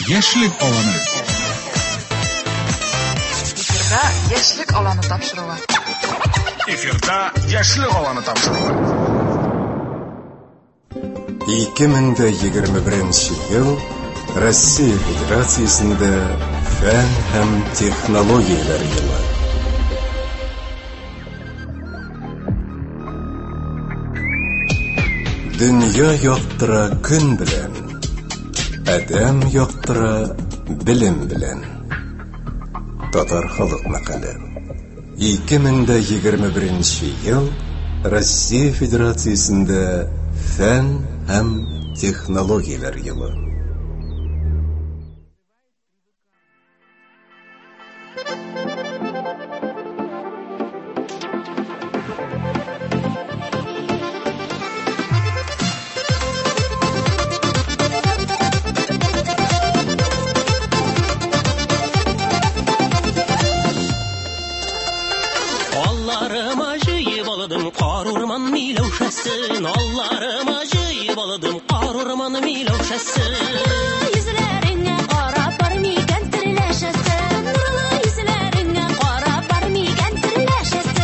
Яшьлек аланы. Эфирда Яшьлек аланы тапшыруы. Эфирда Яшьлек аланы тапшыруы. 2021 ел Россия Федерациясендә фән һәм технологияләр елы. Дөнья яктыра көн белән, адәм яктыра белем белән. Татар халык мәкале. 2021 ел Россия Федерациясендә фән һәм технологияләр елы. Алларыма җыеп алдым кар урман миләүшәсен. Алларыма җыеп алдым кар урман миләүшәсен. Йөзләреңә карап бар микән серләшәсем? Нурлы йөзләреңә карап бар микән серләшәсем?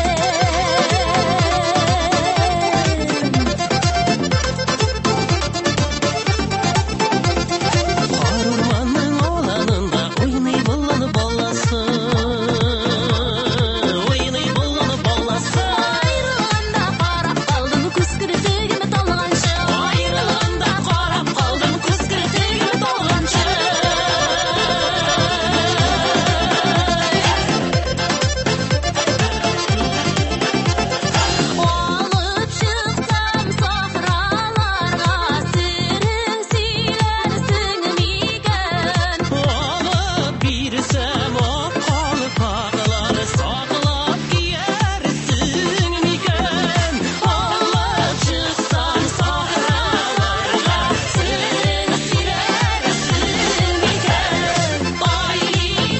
Кар урманның аланында уйный болан баласы. Уйный болан баласы. Аерылганда карап калдым күз керфегем талганчы. Аерылганда карап калдым күз керфегем талганчы. Алып чыксам сахраларга серең сөйләрсең микән? Алып бирсәм ак калфаклар саклап киярсең микән? Алып чыксам сахраларга серең сөйләрсең микән? Ай,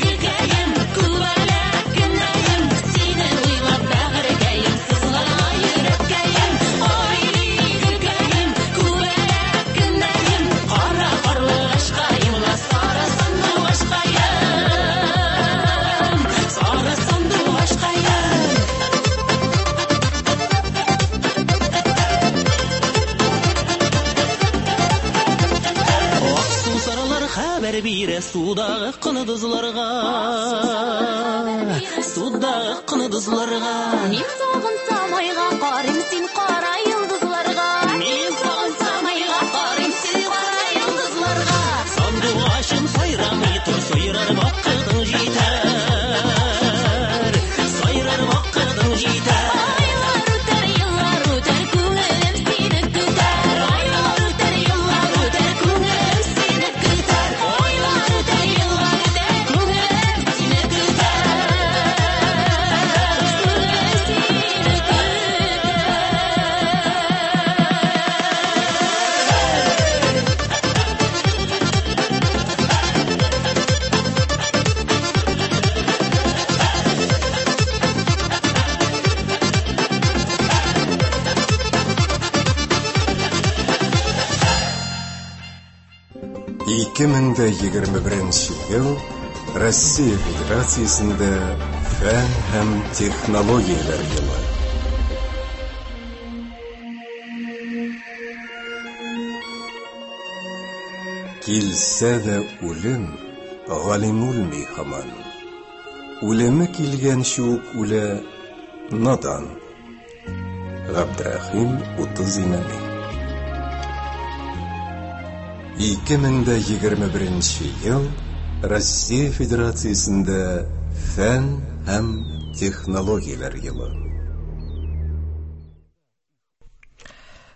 гөлкәем, күбәләк кенәем, сине уйлап бәгырькәем, сызлана йөрәккәем. Ай, гөлкәем, күбәләк кенәем, кара карлыгачкаем, ла сары сандугачкаем, сары сандугачкаем. Ак сусарлар хәбәр бирә судагы кондызларга. Судагы кондызларга. Мин сагынсам айга карыйм, син кара йолдызларга. Мин сагынсам айга карыйм, син кара йолдызларга. Сандугачым сайрамый тор, сайрар вакытың җитәр. Сайрар вакытың җитәр. Айлар үтәр, еллар үтәр, күңелем сине көтәр. Айлар үтәр, еллар үтәр, күңелем сине көтәр. Айлар үтәр, еллар үтәр, күңелем сине көтәр. Күңелем сине көтәр. Ике мең дә егерме беренче ел Россия Федерациясендә фән һәм технологияләр елы. Килсә дә үлем, галим үлми һаман. Үлеме килгәнче үк үлә надан. Габдрахим 30 Имәни. 2021 ел Россия Федерациясендә фән һәм технологияләр елы.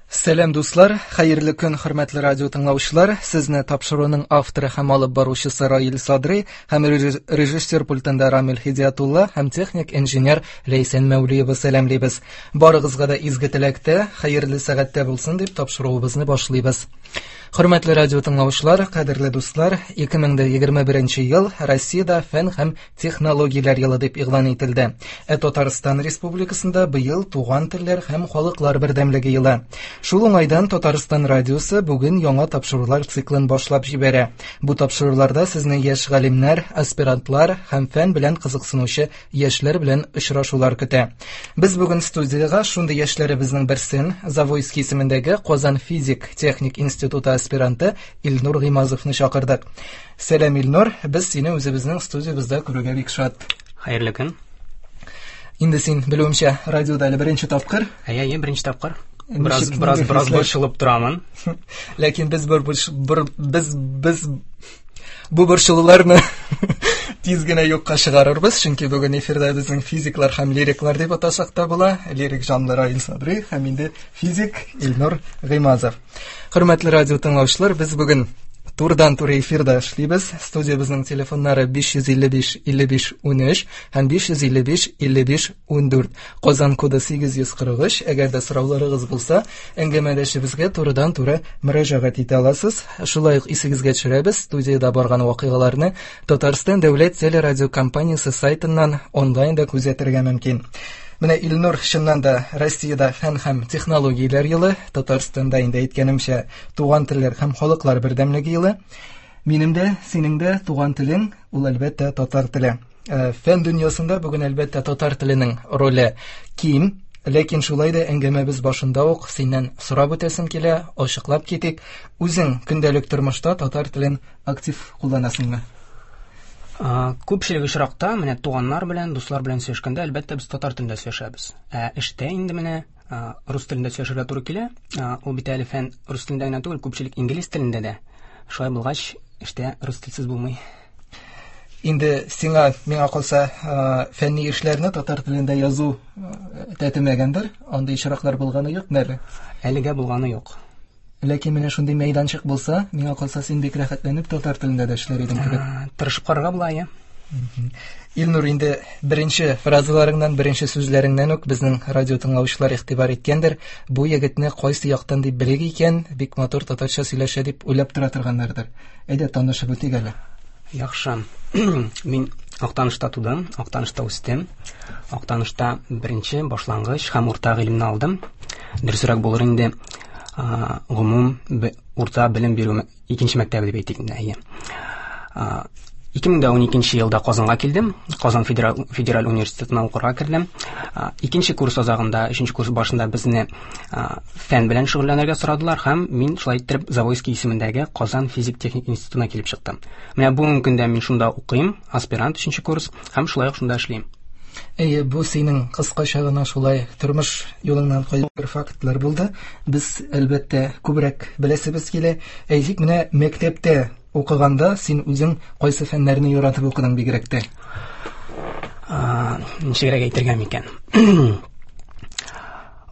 Сәлам дуслар, хәерле көн, хөрмәтле радио тыңлаучылар. Сезне тапшыруның авторы һәм алып баручысы Раил Садри һәм режиссер пультында Рамил Хидиятулла һәм техник инженер Ләйсән Мәүлиева сәламлибез. Барыгызга да изге теләктә, хәерле сәгатьтә булсын дип тапшыруыбызны башлыйбыз. Хөрмәтле радио тыңлаучылар, кадерле дуслар, 2021 ел Россиядә фән һәм технологияләр елы дип игълан ителде. Ә Татарстан Республикасында быел туган телләр һәм халыклар бердәмлеге елы. Шул уңайдан Татарстан радиосы бүген яңа тапшырулар циклын башлап җибәрә. Бу тапшыруларда сезне яшь галимнәр, аспирантлар һәм фән белән кызыксынучы яшьләр белән очрашулар көтә. Без бүген студиягә шундый яшьләребезнең берсен, Завойский исемендәге Казан физик техник институты аспиранты Илнур Гыймазовны чакырдык. Сәлам, Илнур, без сине үзебезнең студиябездә күрүгә бик шат. Хәерле көн. Инде син, белүемчә, радиода әле беренче тапкыр. Әйе, әйе, беренче тапкыр. Бераз бераз бераз борчылып торамын. Ләкин без бер, бер без без бу борчылуларны тиз генә юкка чыгарырбыз, чөнки бүген эфирда безнең физиклар һәм лириклар дип атасак та була. Лирик жанлы Раил Садри һәм инде физик Илнур Гыймазов. Хөрмәтле радио тыңлаучылар, без бүген турыдан-туры эфирда эшлибез. Студиябезнең телефоннары 555 55 13 һәм 555 55 14. Казан коды 843. Әгәр дә сорауларыгыз булса, әңгәмәдәшебезгә турыдан-туры мөрәҗәгать итә аласыз. Шулай ук исегезгә төшерәбез, студиядә барган вакыйгаларны Татарстан дәүләт телерадиокомпаниясе сайтыннан онлайн да күзәтергә мөмкин. Менә Илнур, чыннан да Россиядә фән һәм технологияләр елы, Татарстанда инде әйткәнемчә туган телләр һәм халыклар бердәмлеге елы. Минем дә, синең дә туган телең ул әлбәттә татар теле. Фән дөньясында бүген әлбәттә татар теленең роле ким, ләкин шулай да әңгәмәбез башында ук синнән сорап үтәсем килә, ачыклап китик. Үзең көндәлек тормышта татар телен актив кулланасыңмы? Күпчелек очракта менә туганнар белән, дуслар белән сөйләшкәндә, әлбәттә, без татар телендә сөйләшәбез. Ә эштә инде менә рус телендә сөйләшергә туры килә. Ул бит әле фән рус телендә генә түгел, күпчелек инглиз телендә дә. Шулай булгач, эштә рус телсез булмый. Инде сиңа, миңа калса, фәнни эшләрне татар телендә язу тәтемәгәндер. Андый очраклар булганы юкмы әле? Әлегә булганы юк. Ләкин менә шундый мәйданчык булса, миңа калса, син бик рәхәтләнеп татар телендә дә эшләр идең кебек. Тырышып карарга була, иә. Илнур, инде беренче фразаларыңнан, беренче сүзләреңнән үк безнең радио тыңлаучылар игътибар иткәндер. Бу егетне кайсы яктан дип белик икән, бик матур татарча сөйләшә дип уйлап тора торганнардыр. Әйдә, танышып үтик әле. Яхшы. Мин Актанышта тудым, Актанышта үстем. Актанышта беренче башлангыч һәм урта гыйлемне алдым. Дөресрәк булыр инде, гомум урта белем бирү икенче мәктәбе дип әйтик инде, әйе. 2012 елда Казанга килдем. Казан федераль университетына укырга кердем. Икенче курс азагында, өченче курс башында безне фән белән шөгыльләнергә сорадылар һәм мин шулай иттереп Завойский исемендәге Казан физик-техник институтына килеп чыктым. Менә бүгенге көндә мин шунда укыйм, аспирант өченче курс һәм шулай ук шунда эшлим. Әйе, бу синең кыскача гына шулай тормыш юлыңнан кайбер фактлар булды. Без әлбәттә күбрәк беләсебез килә. Әйтик, менә мәктәптә укыганда син үзең кайсы фәннәрне яратып укыдың бигрәк тә? Ничегрәк әйтергә микән?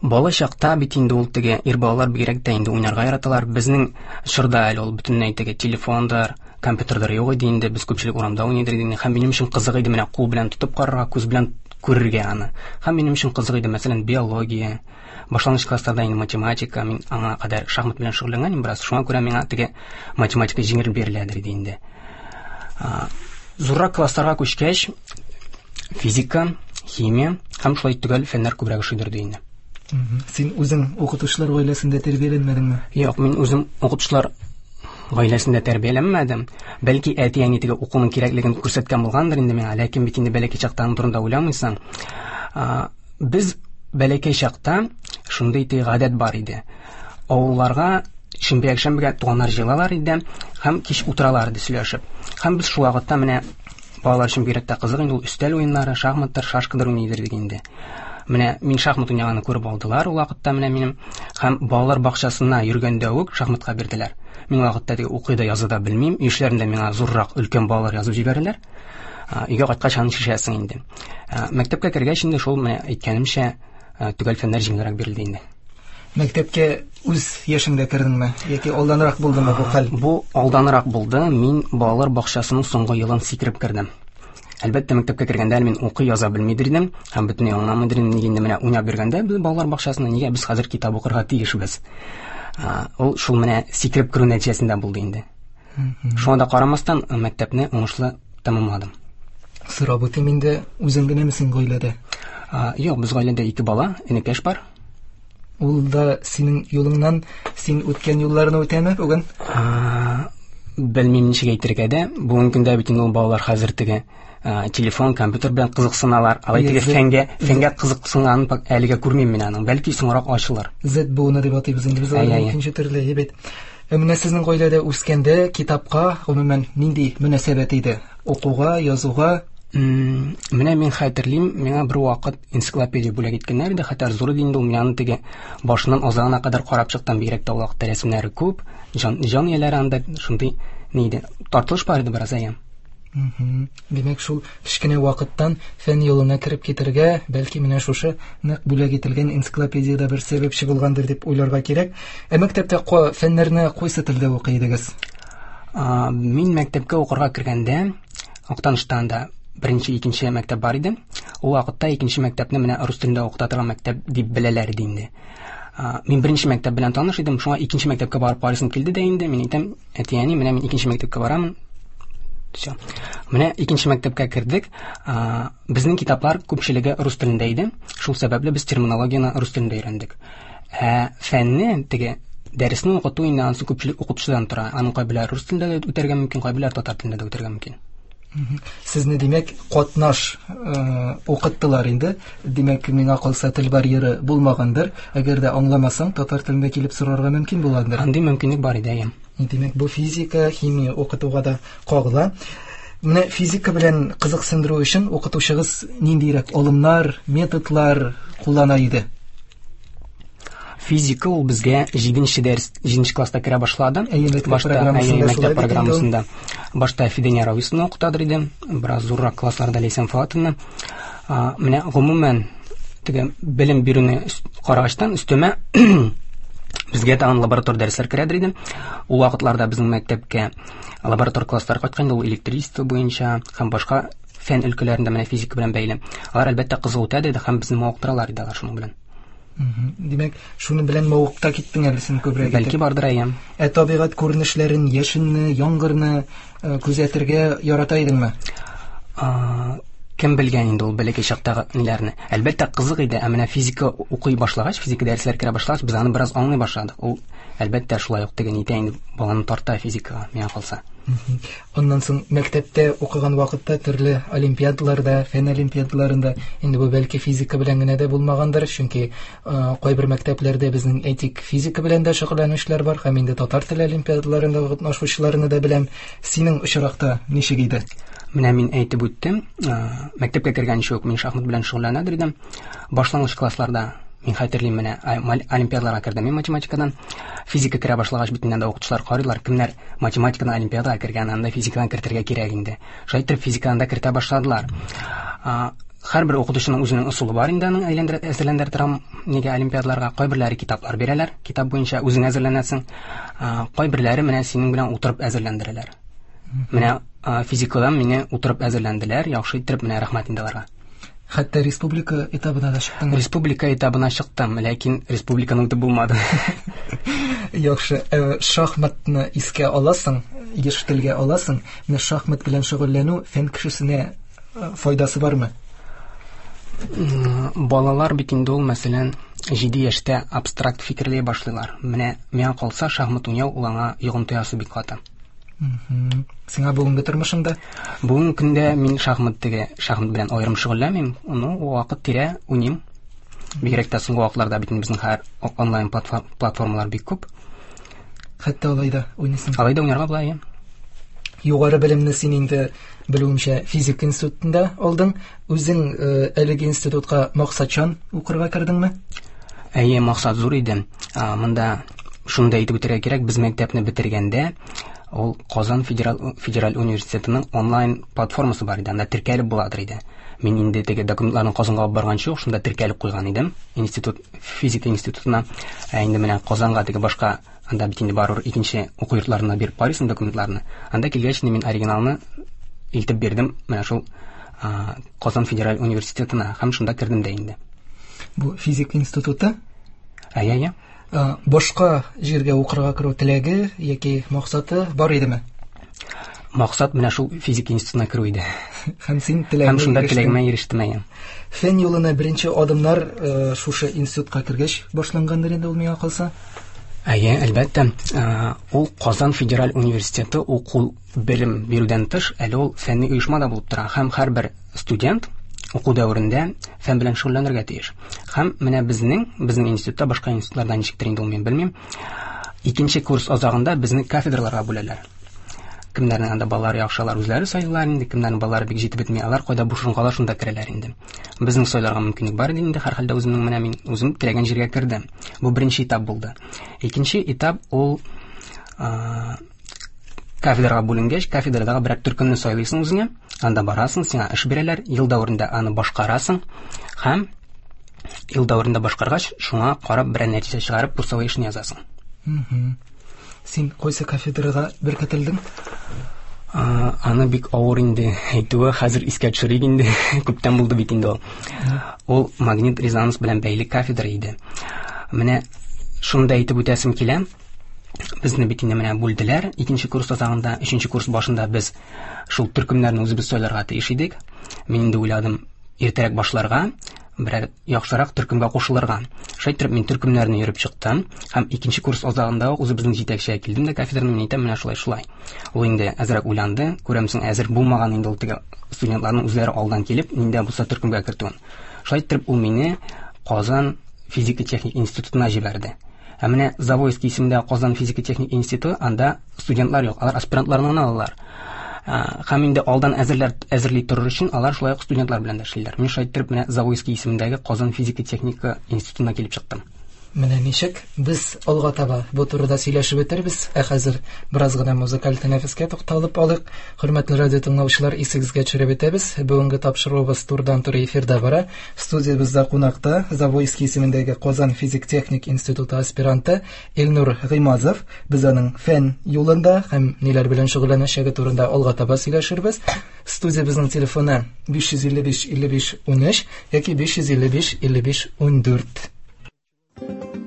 Бала чакта бит инде ул теге ир балалар бигрәк тә инде уйнарга яраталар. Безнең чорда әле ул бөтенләй теге телефондыр, компьютердыр юк иде инде, без күпчелек урамда уйныйдыр иде. Һәм минем өчен кызык иде менә кул белән тотып карарга, күз белән күрергә аны. Һәм минем өчен кызык иде, мәсәлән, биология, башлангыч классларда инде математика, мин аңа кадәр шахмат белән шөгыльләнгән идем бераз, шуңа күрә миңа теге математика җиңел биреләдер иде инде. Зуррак классларга күчкәч, физика, химия һәм шулай төгәл фәннәр күбрәк ошыйдыр инде. Син үзең укытучылар гаиләсендә тәрбияләнмәдеңме? Юк, мин үзем укытучылар гаиләсендә тәрбияләнмәдем. Бәлки әти-әни теге укуның кирәклеген күрсәткән булгандыр инде миңа, ләкин бит инде бәләкәй чакта аның турында уйламыйсың. Без бәләкәй чакта шундый теге гадәт бар иде. Авылларга шимбә-якшәмбегә туганнар җыелалар иде һәм кич утыралар иде сөйләшеп. Һәм без шул вакытта менә балалар өчен бигрәк тә кызык инде ул өстәл уеннары, шахматтыр, шашкадыр уйныйдыр идек инде. Менә мин шахмат уйнаганны күреп алдылар ул вакытта менә минем һәм балалар бакчасына йөргәндә үк шахматка бирделәр. Мин вакытта теге укый да яза да белмим, өй эшләрендә миңа зуррак өлкән балалар язып җибәрәләр. Өйгә кайткач аны чишәсең инде. Мәктәпкә кергәч инде шул менә әйткәнемчә, төгәл фәннәр җиңелрәк бирелде инде. Мәктәпкә үз яшеңдә кердеңме яки алданрак булдымы бу хәл? Бу алданрак булды. Мин балалар бакчасының соңгы елын сикереп кердем. Әлбәттә, мәктәпкә кергәндә әле мин укый яза белмидер идем һәм бөтенләй аңламыйдыр идем. Нигә инде менә уйнап йөргәндә без балалар бакчасында нигә без хәзер китап укырга тиешбез? Ул шул менә сикереп керү нәтиҗәсендә булды инде. Шуңа да карамастан, мәктәпне уңышлы тәмамладым. Сорап үтим инде, үзең генәме син гаиләдә? Юк, без гаиләдә ике бала, энекәш бар. Ул да синең юлыңнан, син үткән юлларны үтәме бүген? Белмим ничек әйтергә дә. Бүгенге көндә бит инде ул балалар хәзер теге телефон, компьютер белән кызыксыналар. Алай теге фәнгә кызыксынганын әлегә күрмим мин аның. Бәлки соңрак ачылыр. Z буыны дип атыйбыз инде без аларны икенче төрле, бит. Менә сезнең гаиләдә үскәндә китапка гомумән нинди мөнәсәбәт иде? Укуга, язуга? Менә мин хәтерлим, миңа бер вакыт энциклопедия бүләк иткәннәр иде, хәтта зур иде инде ул, мин аны теге башыннан азагына кадәр карап чыктым, бигрәк тә ул вакытта рәсемнәре күп, җан ияләре анда шундый ни иде, тартылыш бар иде бераз, әйе. Димәк, шул кечкенә вакыттан фән юлына кереп китергә, бәлки менә шушы нык бүләк ителгән энциклопедиядә бер сәбәпче булгандыр дип уйларга кирәк. Ә мәктәптә фәннәрне кайсы телдә укый идегез? Мин мәктәпкә укырга кергәндә, Актаныштан да беренче, икенче мәктәп бар иде. Ул вакытта икенче мәктәпне менә рус телендә укыта торган мәктәп дип беләләр иде инде. Мин беренче мәктәп белән таныш идем, шуңа икенче мәктәпкә барып карыйсым килде дә инде. Мин әйтәм, әти-әни, менә мин икенче мәктәпкә барамын. Всё. Менә икенче мәктәпкә кердек. Безнең китаплар күпчелеге рус телендә иде. Шул сәбәпле без терминологияне рус телендә өйрәндек. Ә фәнне, теге дәресне укыту инде анысы күпчелек укытучыдан тора. Аның кайберләре рус телендә дә үтәргә мөмкин, кайберләре татар телендә дә үтәргә мөмкин. Сезне, димәк, катнаш укыттылар инде. Димәк, миңа калса тел барьеры булмагандыр. Әгәр дә аңламасаң, татар телендә килеп сорарга мөмкин булгандыр. Андый мөмкинлек бар иде, әйе. Димәк, бу физика, химия укытуга да кагыла. Менә физика белән кызыксындыру өчен укытучыгыз ниндирәк алымнар, методлар куллана иде? Физика ул безгә җиденче дәрес, җиденче класста керә башлады. Әйе, мәктәп Башта, программасында әйе, мәктәп шулай бит инде ул. программасында. Башта Фидения Рависовна укытадыр иде, бераз зуррак классларда Ләйсән Фоатовна. Менә гомумән теге белем бирүне карагачтан өстәмә безгә тагын лаборатор дәресләр керәдер иде. Ул вакытларда безнең мәктәпкә лаборатор класслар кайткан иде, ул электричество буенча һәм башка фән өлкәләрендә менә физика белән бәйле. Алар әлбәттә кызык үтә иде һәм безне мавыктыралар иде алар шуның белән. Димәк, шуның белән мавыкта киттең әле син күбрәк итеп. Бәлки бардыр, әйе. Ә табигать күренешләрен, яшенне, яңгырны күзәтергә ярата идеңме? Кем белгән инде ул бәләкәй чактагы ниләрне? Әлбәттә, кызык иде, ә менә физика укый башлагач, физика дәресләре керә башлагач, без аны бераз аңлый башладык. Ул, әлбәттә, шулай ук теге нитә инде, баланы тарта физикага, миңа калса. Аннан соң мәктәптә укыган вакытта төрле олимпиадаларда, фән олимпиадаларында, инде бу бәлки физика белән генә дә булмагандыр, чөнки кайбер мәктәпләрдә безнең, әйтик, физика белән дә шөгыльләнүчеләр бар, һәм инде татар теле олимпиадаларында катнашучыларны да беләм. Синең очракта ничек иде? Менә мин әйтеп үттем, мәктәпкә кергәнче үк мин шахмат белән шөгыльләнәдер идем. Башлангыч классларда мин хәтерлим, менә, олимпиадаларга кердем мин математикадан. Физика керә башлагач бит инде укытучылар карыйлар, кемнәр математикадан олимпиадага кергән, анда физикадан кертергә кирәк инде. Шулай итеп физикадан да кертә башладылар. Һәрбер укытучының үзенең ысулы бар инде аның әзерләндерә торам нигә олимпиадаларга. Кайберләре китаплар бирәләр, китап буенча үзең әзерләнәсең. Кайберләре менә синең белән утырып әзерләндерәләр. Менә, физикадан мине утырып әзерләнделәр, яхшы иттереп, менә рәхмәт инде аларга. Хәтта республика этабына да чыктың. Республика этабына чыктым, ләкин республиканы үтеп булмады. Яхшы, шахматны искә аласың, еш телгә аласың. Менә шахмат белән шөгыльләнү фән кешесенә файдасы бармы? Балалар бит инде ул, мәсәлән, 7 яшьтә абстракт фикерли башлыйлар. Менә миңа калса, шахмат уйнау ул аңа йогынты ясый бик каты. Сиңа бүгенге тормышыңда? Бүгенге көндә мин шахмат белән аерым шөгыльләнмим, ну, вакыт тирә уйныйм. Бигрәк тә соңгы вакытларда бит инде безнең хәзер онлайн платформалар бик күп. Хәтта алай да уйныйсың. Алай да уйнарга була, әйе. Югары белемне син инде белүемчә физика институтында алдың. Үзең әлеге институтка максатчан укырга кердеңме? Әйе, максат зур иде. Монда шуны да әйтеп үтәргә кирәк, без мәктәпне бетергәндә ул Казан федераль университетының онлайн платформасы бар иде, анда теркәлеп буладыр иде. Мин инде теге документларны Казанга алып барганчы ук шунда теркәлеп куйган идем, физика институтына. Ә инде менә Казанга теге башка, анда бит инде барыбер икенче уку йортларына биреп карыйсың документларны. Анда килгәч, мин оригиналны илтеп бирдем менә шул, Казан федераль университетына һәм шунда кердем дә инде. Бу физика институты? Әйе, әйе. Башка җиргә укырга керү теләге яки максаты бар идеме? Максат менә шул физика институтына керү иде. Һәм син теләгеңә Һәм шунда теләгемә ирештем, әйе. Фән юлына беренче адымнар шушы институтка кергәч башлангандыр инде ул, миңа калса? Әйе, әлбәттә. Ул Казан федераль университеты уку белем бирүдән тыш, әле ул фәнни оешма да булып тора. Һәм һәрбер студент уку дәверендә фән белән шөгыльләнергә тиеш. Һәм менә безнең институтта, башка институтларда ничектер инде ул, мин белмим, икенче курс азагында безне кафедраларга бүләләр. Кемнәрнең анда балалары яхшы, алар үзләре сайлыйлар инде, кемнәрнең балалары бик җитеп бетми, алар кайда буш урын кала, шунда керәләр инде. Безнең сайларга мөмкинлек бар иде инде, һәрхәлдә үземнең менә мин үзем теләгән җиргә кердем. Бу беренче этап булды. Икенче этап ул кафедрага бүленгәч, кафедрадагы берәр төркемне сайлыйсың үзеңә, анда барасың, сиңа эш бирәләр, ел дәверендә аны башкарасың һәм ел дәверендә башкаргач, шуңа карап берәр нәтиҗә чыгарып, курсовой эшне язасың. Син кайсы кафедрага беркетелдең? Аны бик авыр инде әйтүе, хәзер искә төшерик инде, күптән булды бит инде ул. Ул магнит резонанс белән бәйле кафедра иде. Менә шуны да әйтеп үтәсем килә. Безне бит инде менә бүлделәр. Икенче курс азагында, өченче курс башында без шул төркемнәрне үзебез сайларга тиеш идек. Мин инде уйладым, иртәрәк башларга, берәр яхшырак төркемгә кушылырга. Шулай итеп мин төркемнәрне йөреп чыктым һәм икенче курс азагында ук үзебезнең җитәкчегә килдем дә кафедраны мин әйтәм, менә шулай шулай. Ул инде әзрәк уйланды, күрәмсең, әзер булмаган инде ул теге студентларның үзләре алдан килеп, нинди булса төркемгә кертүен. Шулай итеп ул мине Казан физика-техник институтына җибәрде. Ә менә Завойский исемендәге Казан физика-техник институты, анда студентлар юк, алар аспирантларны гына алалар. Һәм инде алдан әзерли торыр өчен алар шулай ук студентлар белән дә эшлиләр. Мин шулай итеп менә Завойский исемендәге Казан физика-техника институтына килеп чыктым. Менә ничек без алга таба бу турыда сөйләшеп үтербез. Ә хәзер бераз гына музыкаль тәнәфескә тукталып алыйк. Хөрмәтле радио тыңлаучылар, исегезгә төшереп үтәбез. Бүгенге тапшыруыбыз турыдан-туры эфирда бара. Студиябездә кунакта Завойский исемендәге Казан физик-техник институты аспиранты Илнур Гыймазов. Без аның фән юлында һәм ниләр белән шөгыльләнәчәге турында алга таба сөйләшербез. Студиябезнең телефоны 555 55 13 яки 555 55 14.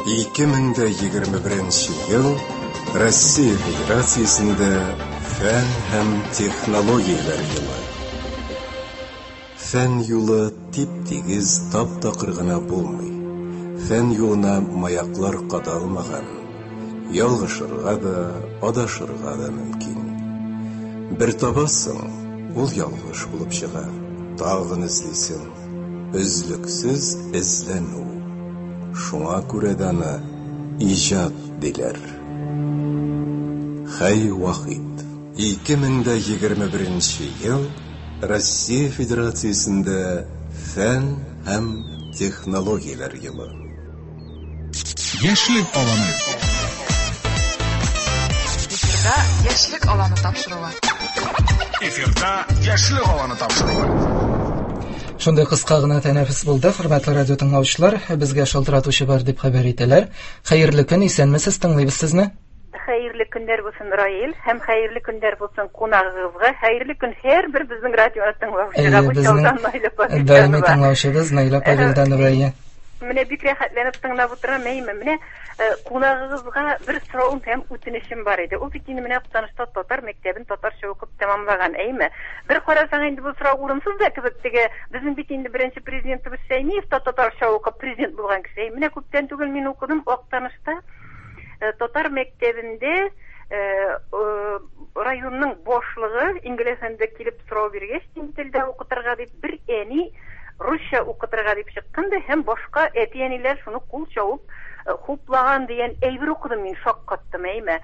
2021 ел Россия Федерациясендә фән һәм технологияләр елы. Фән юлы тип-тигез, тап-такыр гына булмый. Фән юлына маяклар кадалмаган. Ялгышырга да, адашырга да мөмкин. Бер табасың, ул ялгыш булып чыга. Тагын эзлисең. Өзлексез эзләнү. Шуңа күрә дә аны иҗат диләр. Хәй Вахит. 2021 ел Россия Федерациясендә фән һәм технологияләр елы. Яшьлек аланы. Эфирда Яшьлек аланы тапшыруы. Эфирда Яшьлек аланы тапшыруы. Шундый кыска гына тәнәфес булды, хөрмәтле радио тыңлаучылар, безгә шалтыратучы бар дип хәбәр итәләр. Хәерле көн, исәнмесез, тыңлыйбыз сезне. Хәерле көннәр булсын, Раил, һәм хәерле көннәр булсын кунагыгызга. Хәерле көн һәрбер безнең радио тыңлаучыга. Бу чалдан Наилә Павелданова. Даими тыңлаучыбыз Наилә Павелданова. Менә бик рәхәтләнеп тыңлап утырам, әйме. Менә кунагыгызга бер соравым һәм үтенечем бар иде. Ул бит инде менә Актанышта татар мәктәбен татарча укып тәмамлаган, әйме. Бер карасаң инде бу сорау урынсыз да кебек, теге безнең бит инде беренче президентыбыз Шәймиев та татарча укып президент булган кеше. Менә күптән түгел мин укыдым Актанышта татар мәктәбендә районның башлыгы инглиз телендә килеп сорау биргәч, телдә укытырга дип бер әни русча укытырга дип чыккан да һәм башка әти-әниләр шуны кул чабып хуплаган дигән әйбер укыдым мин, шаккаттым, әйме.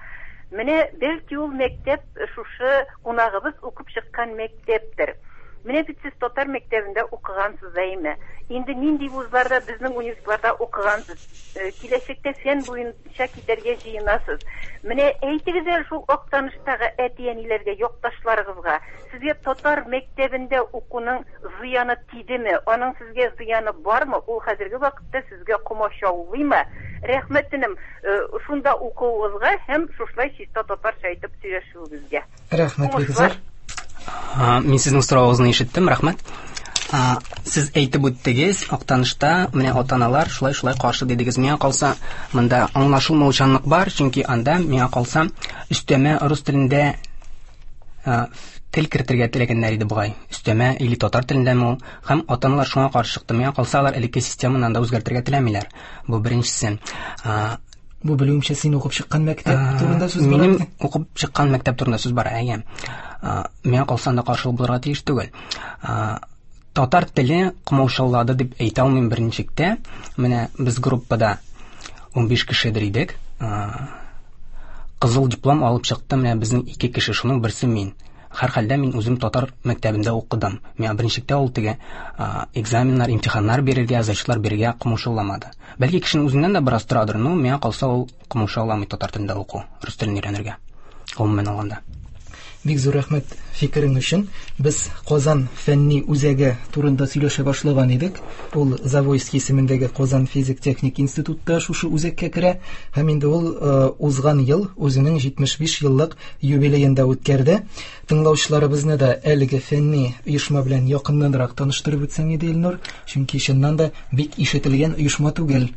Менә бәлки ул мәктәп шушы кунагыбыз укып чыккан мәктәптер. Менә бит сез татар мәктәбендә укыгансыз, әйме. Инде нинди вузларда, безнең университетларда укыгансыз. Киләчәктә фән буенча китәргә җыенасыз. Менә әйтегез әле шул Актаныштагы әти-әниләргә, якташларыгызга, сезгә татар мәктәбендә укуның зыяны тидеме? Аның сезгә зыяны бармы? Ул хәзерге вакытта сезгә комачаулыймы? Рәхмәт энем, шунда укуыгызга һәм шушылай чиста татарча әйтеп сөйләшүегезгә. Рәхмәт бик зур. Мин сезнең соравыгызны ишеттем, рәхмәт. Сез әйтеп үттегез, Актанышта менә ата-аналар шулай-шулай каршы дидегез. Миңа калса, монда аңлашылмаучанлык бар, чөнки анда миңа калса өстәмә рус телендә тел кертергә теләгәннәр иде бугай. Өстәмә или татар телендәме ул? Һәм ата-аналар шуңа каршы чыкты. Миңа калса, алар элекке системаны анда үзгәртергә теләмиләр. Бу беренчесе. Бу белүемчә син укып чыккан мәктәп турында сүз бара. Минем укып чыккан мәктәп турында сүз бара, әйе. Миңа калса, анда каршылык булырга тиеш түгел. Татар теле комаучаулады дип әйтә алмыйм берничек тә. Менә без группада 15 кешедер идек. Кызыл диплом алып чыкты менә безнең ике кеше, шуның берсе мин. Һәрхәлдә мин үзем татар мәктәбендә укыдым. Миңа берничек тә ул теге экзаменнар, имтиханнар бирергә, зачетлар бирергә комаучауламады. Бәлки кешенең үзеннән дә бераз торадыр, но миңа калса ул комаучауламый татар телендә уку, рус телен өйрәнергә. Гомумән алганда. Бик зур рәхмәт фикерең өчен. Без Казан фәнни үзәге турында сөйләшә башлаган идек. Ул Завойский исемендәге Казан физик-техник институтта шушы үзәккә керә һәм инде ул узган ел үзенең 75 еллык юбилеен да үткәрде. Тыңлаучыларыбызны да әлеге фәнни оешма белән якыннанрак таныштырып үтсәң иде, Илнур, чөнки чыннан да бик ишетелгән оешма түгел.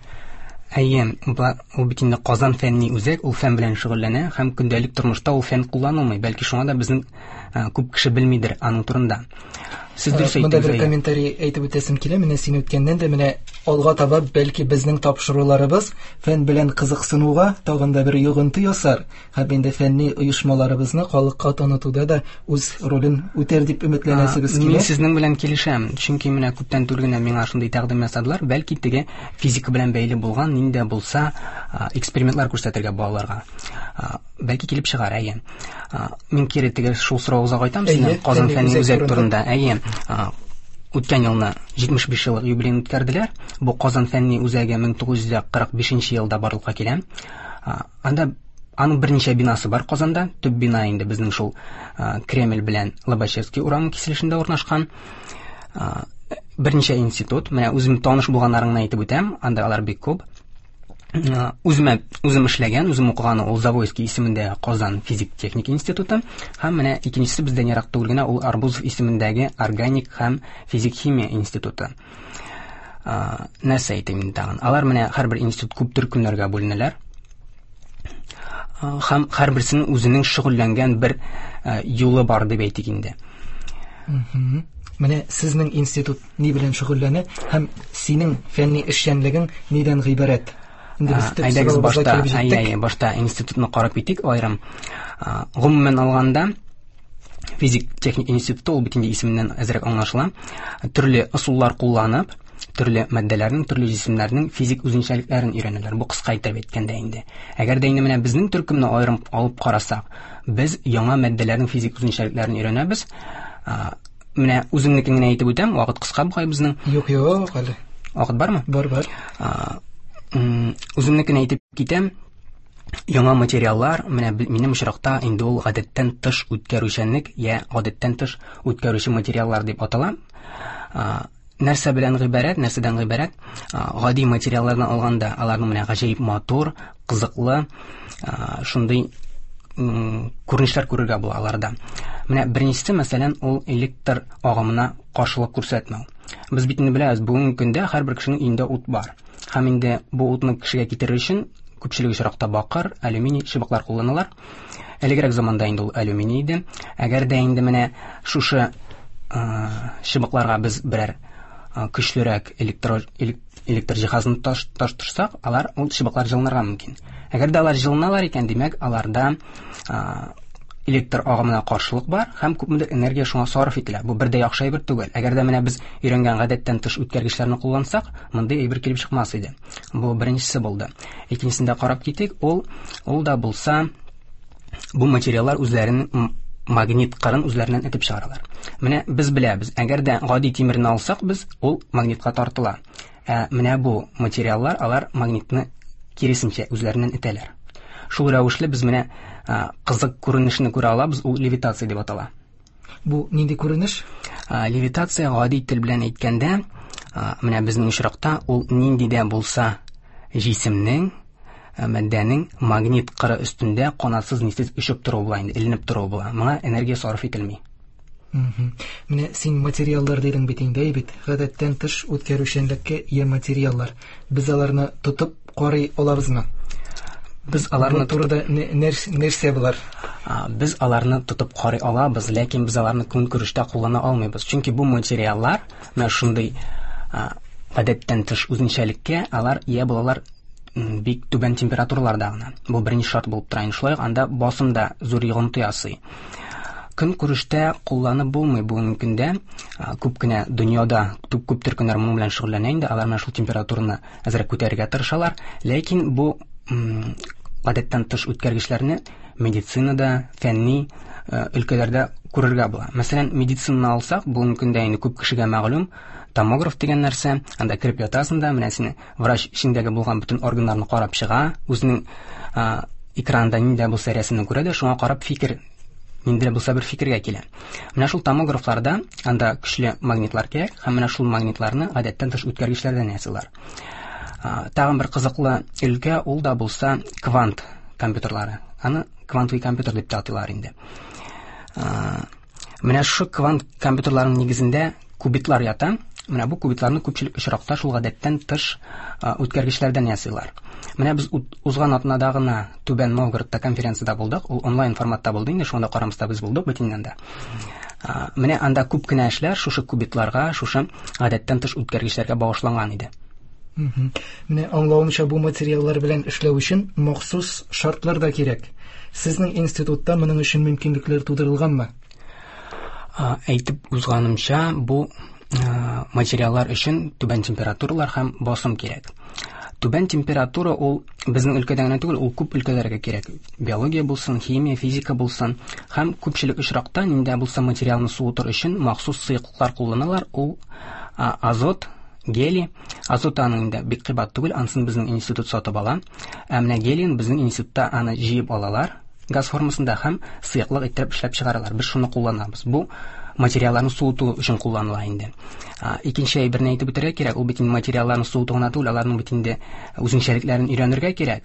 Әйе, ул бит инде Казан фәнни үзәк, ул фән белән шөгыльләнә һәм көндәлек тормышта ул фән кулланылмый. Бәлки шуңа да безнең күп кеше белмидер аның турында. Сез дөрес әйттегез. Монда бер комментарий әйтеп үтәсем килә. Менә син үткәннән дә менә алга таба бәлки безнең тапшыруларыбыз фән белән кызыксынуга тагын да бер йогынты ясар. Һәм инде фәнни оешмаларыбызны халыкка танытуда да үз ролен үтәр дип өметләнәсебез килә. Мин сезнең белән килешәм, чөнки менә күптән түгел генә миңа шундый тәкъдим ясадылар, бәлки теге физика белән бәйле булган нинди дә булса экспериментлар күрсәтергә балаларга. Бәлки килеп чыгар, әйе. Мин кире теге шул соравыгызга кайтам сезнең Казан фәнни үзәк турында. Әйе. Үткән елны 75 еллык юбилеен үткәрделәр. Бу Казан фәнни үзәге 1945 елда барлыкка килә. Анда аның берничә бинасы бар Казанда. Төп бина инде безнең шул Кремль белән Лобачевский урамы киселешендә урнашкан. Берничә институт, менә үзем таныш булганнарын гына әйтеп үтәм, анда алар бик күп. Үземә үзем эшләгән, үзем укыган ул Завойский исемендә Казан физик-техник институты һәм менә икенчесе бездән ерак түгел генә ул Арбузов исемендәге органик һәм физик-химия институты. Нәрсә әйтим инде тагын? Алар менә һәрбер институт күп төркемнәргә бүленәләр. Һәм һәрберсенең үзенең шөгыльләнгән бер юлы бар дип әйтик инде. Менә сезнең институт ни белән шөгыльләнә һәм синең фәнни эшчәнлегең нидән гыйбарәт? Инде без төп Әйдәгез башта, әй, башта институтны карап китик аерым. Гомумән алганда, физик техник институты ул бит инде исеменнән әзрәк аңлашыла. Төрле ысуллар кулланып, төрле матдәләрнең, төрле җисемнәрнең физик үзенчәлекләрен өйрәнәләр. Бу кыска итеп әйткәндә инде. Әгәр дә инде менә безнең төркемне аерым алып карасак, без яңа матдәләрнең физик үзенчәлекләрен өйрәнәбез. Менә үземнекен генә әйтеп үтәм, вакыт кыска бугай безнең. Юк, юк, әле. Вакыт бармы? Бар, бар. Үземнекен әйтеп китәм. Яңа материаллар, менә минем очракта инде ул гадәттән тыш үткәрүчәнлек я гадәттән тыш үткәрүче материаллар дип атала. Нәрсә белән гыйбарәт, нәрсәдән гыйбарәт? Гади материаллардан алганда, аларның менә гаҗәеп матур, кызыклы, шундый күренешләр күрергә була аларда. Менә беренчесе, мәсәлән, ул электр агымына каршылык күрсәтмәү. Без бит инде беләбез, бүгенге көндә һәрбер кешенең өендә ут бар. Һәм инде бу утны кешегә китерер өчен күпчелек очракта бакыр, алюминий чыбыклар кулланалар. Элегрәк заманда инде ул алюминий иде. Әгәр дә инде менә шушы чыбыкларга без берәр көчлерәк электр җиһазын таштырсак, алар ул чыбыклар җылынырга мөмкин. Әгәр дә алар җылыналар икән, димәк, аларда электр агымына каршылык бар һәм күпмедер энергия шуңа сарыф ителә. Бу бер дә яхшы әйбер түгел. Әгәр дә менә без өйрәнгән гадәттән тыш үткәргечләрне куллансак, мондый әйбер килеп чыкмас иде. Бу беренчесе булды. Икенчесен дә карап китик, ул да булса бу материаллар үзләренең магнит кырын үзләреннән этеп чыгаралар. Менә без беләбез, әгәр дә гади тимерне алсак без, ул магнитка тартыла. Ә менә бу материаллар, алар магнитны киресенчә үзләреннән этәләр. Шул рәвешле без менә кызык күренешне күрә алабыз, ул левитация дип атала. Бу нинди күренеш? Левитация гади тел белән әйткәндә, менә безнең очракта ул нинди дә булса җисемнең, матдәнең магнит кыры өстендә канатсыз нисез очып торуы була инде, эленеп торуы була. Моңа энергия сарыф ителми. Менә син материаллар дидең бит инде, әй бит. Гадәттән тыш үткәрүчәнлеккә ия материаллар. Без аларны тотып карый алабызмы? Без аларны Бу турыда нәрсә болар? Без аларны тотып карый алабыз, ләкин без аларны көнкүрештә куллана алмыйбыз. Чөнки бу материаллар менә шундый гадәттән тыш үзенчәлеккә алар ия булалар бик түбән температураларда гына. Бу беренче шарт булып тора. Инде шулай ук анда басым да зур йогынты ясый. Көнкүрештә кулланып булмый бүгенге көндә. Күп кенә дөньяда күп төркемнәр моның белән шөгыльләнә инде. Алар менә шул температураны әзрәк күтәрергә тырышалар. Ләкин бу гадәттән тыш үткәргечләрне медицинада, фәнни өлкәләрдә күрергә була. Мәсәлән, медицинаны алсак, бүгенге көндә инде күп кешегә мәгълүм томограф дигән нәрсә. Анда кереп ятасың да, менә сине врач эчендәге булган бөтен органнарны карап чыга, үзенең экранда нинди дә булса рәсемне күрә дә, шуңа карап фикер, нинди дә булса бер фикергә килә. Менә шул томографларда анда көчле магнитлар кирәк, һәм менә шул магнитларны гадәттән тыш үткәргечләрдән ясыйлар. Тагын бер кызыклы өлкә, ул да булса квант компьютерлары. Аны квантовый компьютер дип тә атыйлар инде. Менә шушы квант компьютерларының нигезендә кубитлар ята. Менә бу кубитларны күпчелек очракта шул гадәттән тыш үткәргечләрдән ясыйлар. Менә без узган атнада гына Түбән Новгородта конференциядә булдык. Ул онлайн форматта булды инде, шуңа да карамастан без булдык бит инде анда. Менә анда күп кенә эшләр шушы кубитларга, шушы гадәттән тыш үткәргечләргә багышланган иде. Менә аңлавымча, бу материаллар белән эшләү өчен махсус шартлар да кирәк. Сезнең институтта моның өчен мөмкинлекләр тудырылганмы? Әйтеп узганымча, бу материаллар өчен түбән температуралар һәм басым кирәк. Түбән температура ул безнең өлкәдә генә түгел, ул күп өлкәләргә кирәк. Биология булсын, химия, физика булсын. Һәм күпчелек очракта нинди дә булса материалны суытыр өчен махсус сыеклыклар кулланалар. Ул азот, гелий. Азот аның инде бик кыйбат түгел, анысын безнең институт сатып ала. Ә менә гелийны безнең институтта аны җыеп алалар газ формасында һәм сыеклык иттереп эшләп чыгаралар. Без шуны кулланабыз. Бу материалларны суыту өчен кулланыла инде. Икенче әйберне әйтеп үтәргә кирәк, ул бит инде материалларны суыту гына түгел, аларның бит инде үзенчәлекләрен өйрәнергә кирәк.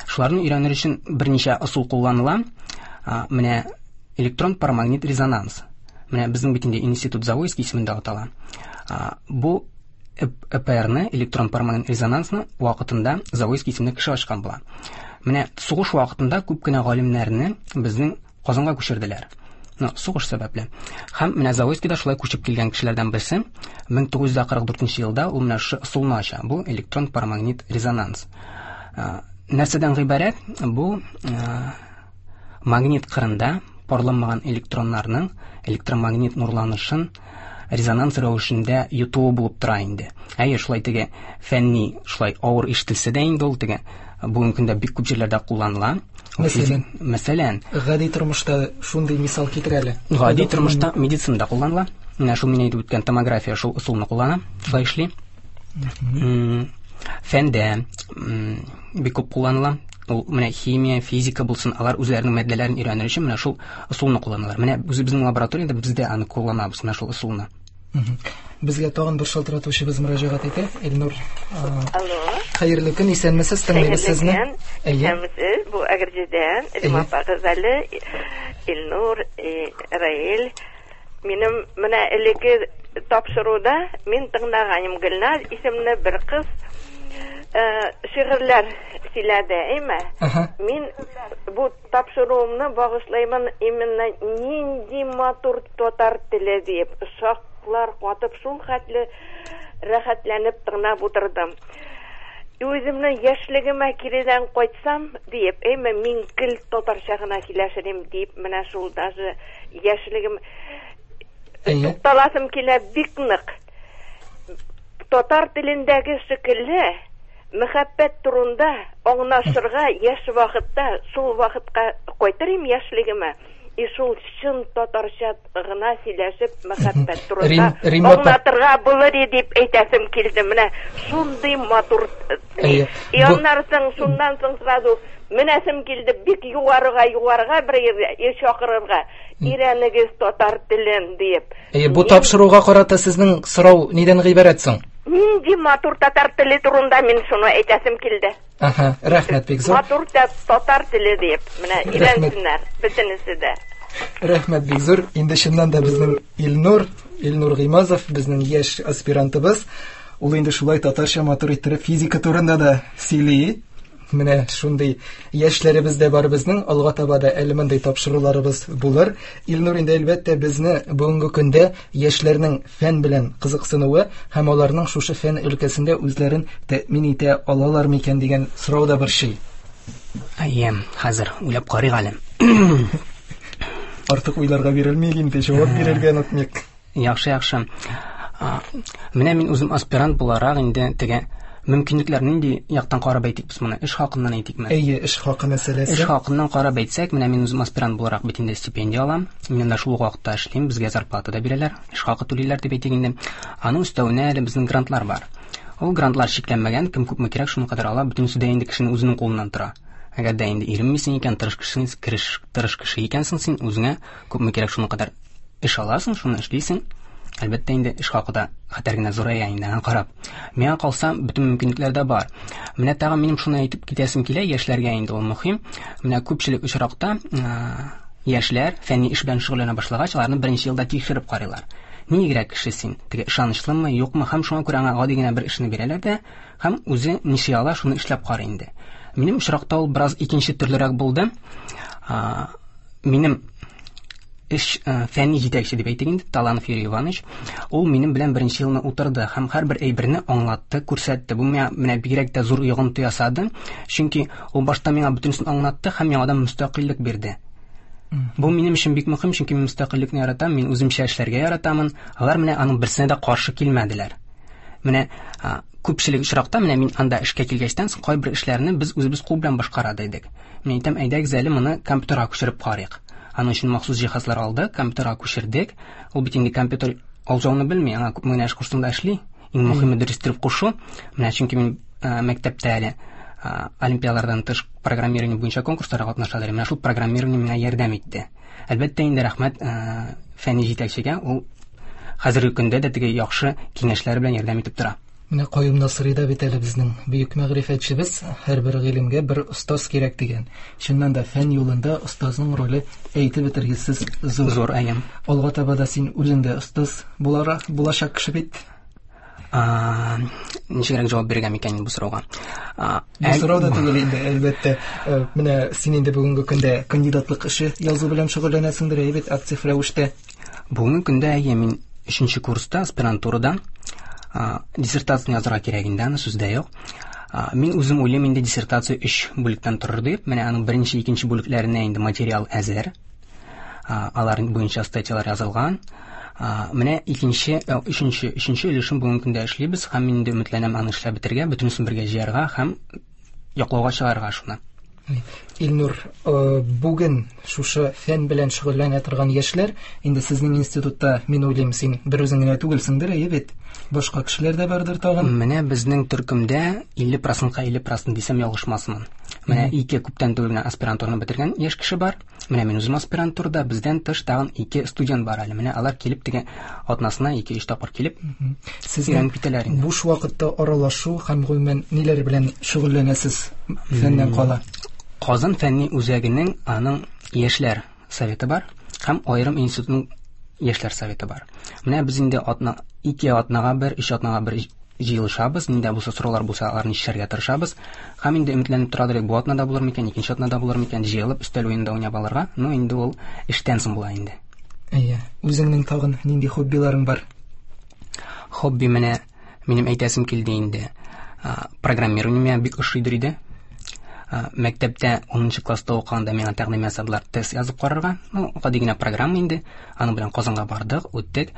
Шуларны өйрәнер өчен берничә ысул кулланыла. Менә электрон парамагнит резонанс. Менә безнең бит инде институт Завойский исемендә атала. Бу ЭПР-ны, электрон парамагнит резонансны вакытында Завойский исемле кеше ачкан була. Менә сугыш вакытында күп кенә галимнәрне безнең Казанга күчерделәр. Сугыш сәбәпле. Һәм менә Завойский да шулай күчеп килгән кешеләрдән берсе. 1944 елда ул менә шушы ысулны ача. Бу электрон парамагнит резонанс. Нәрсәдән гыйбарәт? Бу магнит кырында парланмаган электроннарның электромагнит нурланышын резонанс рәвешендә йотуы булып тора инде. Әйе, шулай теге фәнни, шулай авыр ишетелсә дә инде ул теге бүгенге көндә бик күп җирләрдә кулланыла. Мәсәлән? Мәсәлән, гади тормышта шундый мисал китер әле. Гади тормышта медицинада кулланыла. Менә шул мин әйтеп үткән томография шул ысулны куллана, шулай эшли. Фәндә бик күп кулланыла. Ул менә химия, физика булсын, алар үзләренең матдәләрен өйрәнер өчен менә шул ысулны кулланалар. Менә үзебезнең лабораториядә без дә аны кулланабыз, менә шул ысулны. Безгә тагын бер шалтыратучыбыз мөрәҗәгать итә. Эльнур. Алло. Хәерле көн, исәнмесез, тыңлыйбыз сезне. Исәнмесез, бу Әгерҗедән, Римма апа Газали, Илнур, Раил. Минем менә элекке тапшыруда мин тыңлаганым Гөлназ исемле бер кыз шигырьләр сөйләде, әйме? Мин бу тапшыруымны багышлаймын именно нинди матур татар теле дип, шаклар катып, шул хәтле рәхәтләнеп тыңлап утырдым. Үземнең яшьлегемә киредән кайтсам, диеп, әйме, мин гел татарча гына сөйләшерим, дип, менә шул даже яшьлегем тукталасым килә бик нык. Татар телендәге шикелле мәхәббәт турында аңлашырга яшь вакытта, шул вакытка кайтырым яшьлегемә, и шул чын татарча гына сөйләшеп мәхәббәт турында аңлатырга булыр дип әйтәсем килде. Менә шундый матур. И аннан соң, шуннан соң сразу менәсем килде бик югарыга, югарыга бер җиргә чакырырга. Өйрәнегез татар телен диеп. Әйе, бу тапшыруга карата сезнең сорау нидән гыйбарәт соң? Нинди матур татар теле турында мин шуны әйтәсем килде. Аһа, рәхмәт бик зур. Матур татар теле диеп, менә өйрәнсеннәр бөтенесе дә. Рәхмәт бик зур. Инде чыннан да безнең Илнур Гыймазов, безнең яшь аспирантыбыз, ул инде шулай татарча матур иттереп физика турында да сөйли. Менә шундый яшьләребез дә бар безнең. Алга таба да әле мондый тапшыруларыбыз булыр. Илнур инде әлбәттә безне бүгенге көндә яшьләрнең фән белән кызыксынуы һәм аларның шушы фән өлкәсендә үзләрен тәэмин итә алалар микән дигән сорау да борчый. Әйе, хәзер уйлап карыйк әле. Артык уйларга бирелмик инде, җавап бирергә онытмыйк. Яхшы, яхшы. Менә мин үзем аспирант буларак инде теге мөмкинлекләр нинди яктан карап әйтик без моны? Эш хакыннан әйтикме? Әйе, эш хакы мәсьәләсе. Эш хакыннан карап әйтсәк, менә мин үзем аспирант буларак бит инде стипендия алам. Мин анда шул ук вакытта эшлим, безгә зарплата да бирәләр, эш хакы түлиләр дип әйтик инде. Аның өстәвенә әле безнең грантлар бар. Ул грантлар чикләнмәгән, кем күпме кирәк, шуның кадәр ала, бөтенесе дә инде кешенең үзенең кулыннан тора. Әгәр дә инде иренмисең икән, тырыш кеше, тырыш кеше икәнсең син, үзеңә күпме кирәк, шуның кадәр эш аласың, шуны эшлисең. Әлбәттә инде эш хакы да хәтәр генә зурая инде, аңа карап. Миңа калса, бөтен мөмкинлекләр дә бар. Менә тагын минем шуны әйтеп китәсем килә, яшьләргә инде ул мөһим. Менә күпчелек очракта яшьләр фәнни эш белән шөгыльләнә башлагач, аларны беренче елда тикшереп карыйлар. Нигрәк кеше син? Теге ышанычлымы, юкмы? Һәм шуңа күрә аңа гади генә бер эшне бирәләр дә, һәм үзе ничә ала, шуны эшләп карый инде. Минем очракта ул бераз икенче төрлерәк булды. Минем эш фәнни җитәкче дип әйтик инде, Таланов Юрий Иванович, ул минем белән беренче елны утырды һәм һәрбер әйберне аңлатты, күрсәтте. Бу миңа менә бигрәк тә зур йогынты ясады, чөнки ул башта миңа бөтенесен аңлатты һәм яңадан мөстәкыйльлек бирде. Бу минем өчен бик мөһим, чөнки мин мөстәкыйльлекне яратам, мин үземчә эшләргә яратамын. Алар менә аның берсенә дә каршы килмәделәр. Менә күпчелек очракта менә мин анда эшкә килгәчтән соң кайбер эшләрне без үзебез кул белән башкара идек. Мин әйтәм, әйдәгез әле моны компьютерга күчереп карыйк. Аның өчен махсус җиһазлар алдык, компьютерга күчердек. Ул бит инде компьютер алҗауны белми, аңа күпме генә эш кушсаң да эшли. Иң мөһиме дөрес итеп кушу. Менә чөнки мин мәктәптә әле олимпиадалардан тыш программирование буенча конкурсларга катнаша идем. Менә шул программирование миңа ярдәм итте. Әлбәттә инде рәхмәт фәнни җитәкчегә, ул хәзерге көндә дә теге яхшы киңәшләре белән ярдәм итеп тора. Менә Каюм Насыйри да бит әле безнең бөек мәгърифәтчебез, һәрбер гыйлемгә бер остаз кирәк дигән. Чыннан да фән юлында остазның роле әйтеп бетергесез зур. Зур, әйе. Алга таба да син үзең дә остаз буларак булачак кеше бит. Ничегрәк җавап бирергә микән бу сорауга? Бу сорау да түгел инде, әлбәттә. Менә син инде бүгенге көндә кандидатлык эше язу белән шөгыльләнәсеңдер, әйе бит, актив рәвештә. Бүгенге көндә әйе, мин 3 курста аспирантурада диссертацияне язарга кирәк инде, аны сүз дә юк. Мин үзем уйлыйм инде диссертация 3 бүлектән торыр дип. Менә аның беренче, икенче бүлекләренә инде материал әзер. Алар буенча статьялар язылган. Менә икенче, өченче өлешен бүгенге көндә эшлибез һәм мин инде өметләнәм аны эшләп бетерергә, бөтенесен бергә җыярга һәм яклауга чыгарырга шуны. Илнур, бүген шушы фән белән шөгыльләнә торган яшьләр, инде сезнең институтта, мин уйлыйм, син бер үзең генә түгелсеңдер, әйе бит? Башка кешеләр дә бардыр тагын. Менә безнең төркемдә 50%-ка 50% дисәм ялгышмасмын. Менә ике күптән түгел генә аспирантураны бетергән яшь кеше бар. Менә мин үзем аспирантурада, бездән тыш тагын 2 студент бар әле. Менә алар килеп теге атнасына 2-3 тапкыр килеп Сезнең өйрәнеп китәләр инде. Буш вакытта аралашу һәм гомумән ниләр белән шөгыльләнәсез фәннән кала? Казан фәнни үзәгенең аның яшьләр советы бар һәм аерым институтның яшьләр советы бар. Менә без инде 2 атнага бер, 3 атнага бер җыелышабыз, нинди булса сораулар булса, аларны чишәргә тырышабыз. Һәм инде өметләнеп торадыр, бу атнада булыр микән, икенче атнада булыр микән, җыелып өстәл уенында уйнап алырга. Ну, инде ул эштән соң була инде. Әйе, үзеңнең тагын нинди хоббиларың бар? Хобби менә минем әйтәсем килде инде. Программирование миңа бик ошыйдыр иде. Мәктәптә 10 класста укыганда миңа тәкъдим ясадылар тест язып карарга. Ну, гади генә программа инде. Аның белән Казанга бардык, үттек,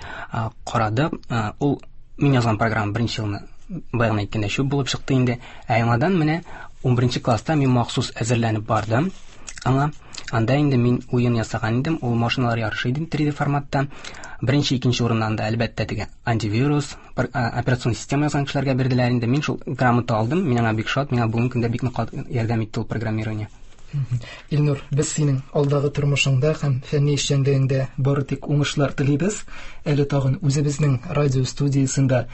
карадык. Ул мин язган программа беренче елны баягы әйткәндә чүп булып чыкты инде. Ә яңадан менә 11 класста мин махсус әзерләнеп бардым аңа. Анда инде мин уен ясаган идем, ул машиналар ярышы иде 3D форматта. Беренче, икенче урыннан да әлбәттә теге антивирус, операцион система язган кешеләргә бирделәр инде. Мин шул грамота алдым, мин аңа бик шат, миңа бүгенге көндә бик нык ярдәм итте ул программирование. Илнур, без синең алдагы тормышыңда һәм фәнни эшчәнлегеңдә бары тик уңышлар телибез. Әле тагын үзебезнең радио студиясендә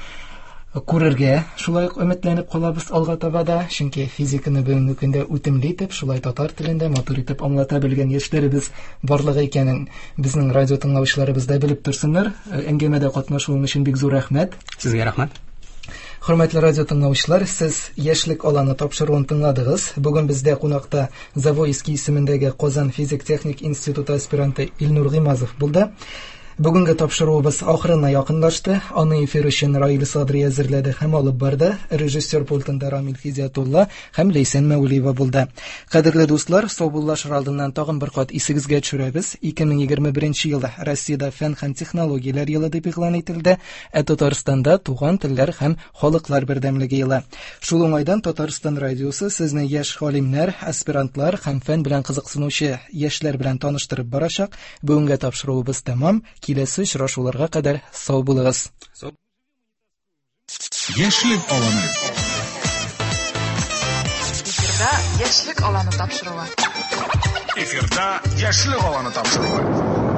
Күрергә шулай ук өметләнеп калабыз алга таба да, чөнки физиканы бүгенге көндә үтемле итеп, шулай татар телендә матур итеп аңлата белгән яшьләребез барлыгы икәнен безнең радио тыңлаучыларыбыз да белеп торсыннар. Әңгәмәдә катнашуың өчен бик зур рәхмәт. Сезгә рәхмәт. Хөрмәтле радио тыңлаучылар, сез Яшьлек аланы тапшыруын тыңладыгыз. Бүген бездә кунакта Завойский исемендәге Казан физик-техник институты аспиранты Илнур Гыймазов булды. Бүгенге тапшыруыбыз ахырына якынлашты. Аны эфир өчен Раил Садри әзерләде һәм алып барды. Режиссер пультында Рамил Хидиятулла һәм Ләйсән Мәүлиева булды. Кадерле дуслар, саубуллашыр алдыннан тагын бер кат исегезгә төшерәбез. 2021 елда Россиядә фән һәм технологияләр елы дип игълан ителде, ә Татарстанда туган телләр һәм халыклар бердәмлеге елы. Шул уңайдан Татарстан радиосы сезне яшь галимнәр, аспирантлар һәм фән белән кызыксынучы яшьләр белән таныштырып барачак. Бүгенге тапшыруыбыз тәмам. Киләсе очрашуларга кадәр сау булыгыз. Яшьлек аланы. Эфирда Яшьлек аланы тапшыруы. Эфирда Яшьлек аланы тапшыруы.